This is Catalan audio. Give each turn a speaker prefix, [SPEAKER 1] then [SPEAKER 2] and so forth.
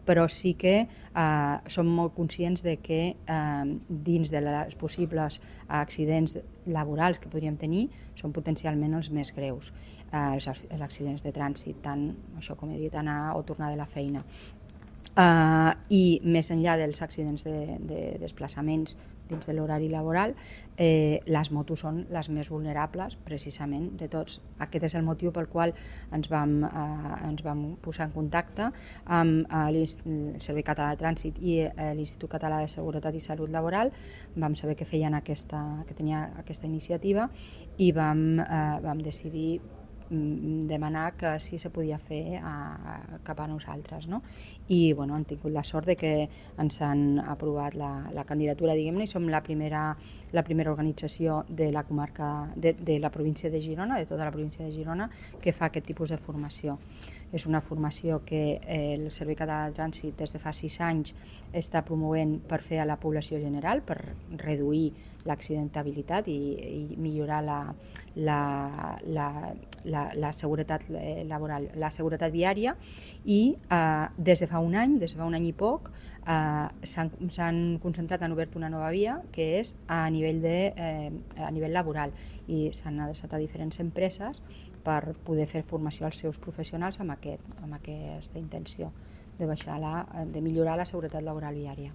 [SPEAKER 1] però sí que som molt conscients de que dins de les possibles accidents laborals que podríem tenir són potencialment els més greus, els accidents de trànsit, tant això com he dit, anar o tornar de la feina. I més enllà dels accidents de desplaçaments dins de l'horari laboral, les motos són les més vulnerables precisament de tots. Aquest és el motiu pel qual ens vam posar en contacte amb el Servei Català de Trànsit i l'Institut Català de Seguretat i Salut Laboral. Vam saber que que tenia aquesta iniciativa i vam decidir demanar que si se podia fer cap a nosaltres, no? I han tingut la sort de que ens han aprovat la candidatura, diguem-ne, i som la primera organització de la comarca de la província de Girona, de tota la província de Girona, que fa aquest tipus de formació. És una formació que el Servei Català de Trànsit des de fa 6 anys està promovent per fer a la població general, per reduir l'accidentabilitat i millorar la seguretat laboral, la seguretat viària, i des de fa un any i poc, s'han concentrat, han obert una nova via que és a nivell laboral, i s'han adreçat a diferents empreses per poder fer formació als seus professionals amb aquesta intenció de millorar la seguretat laboral viària.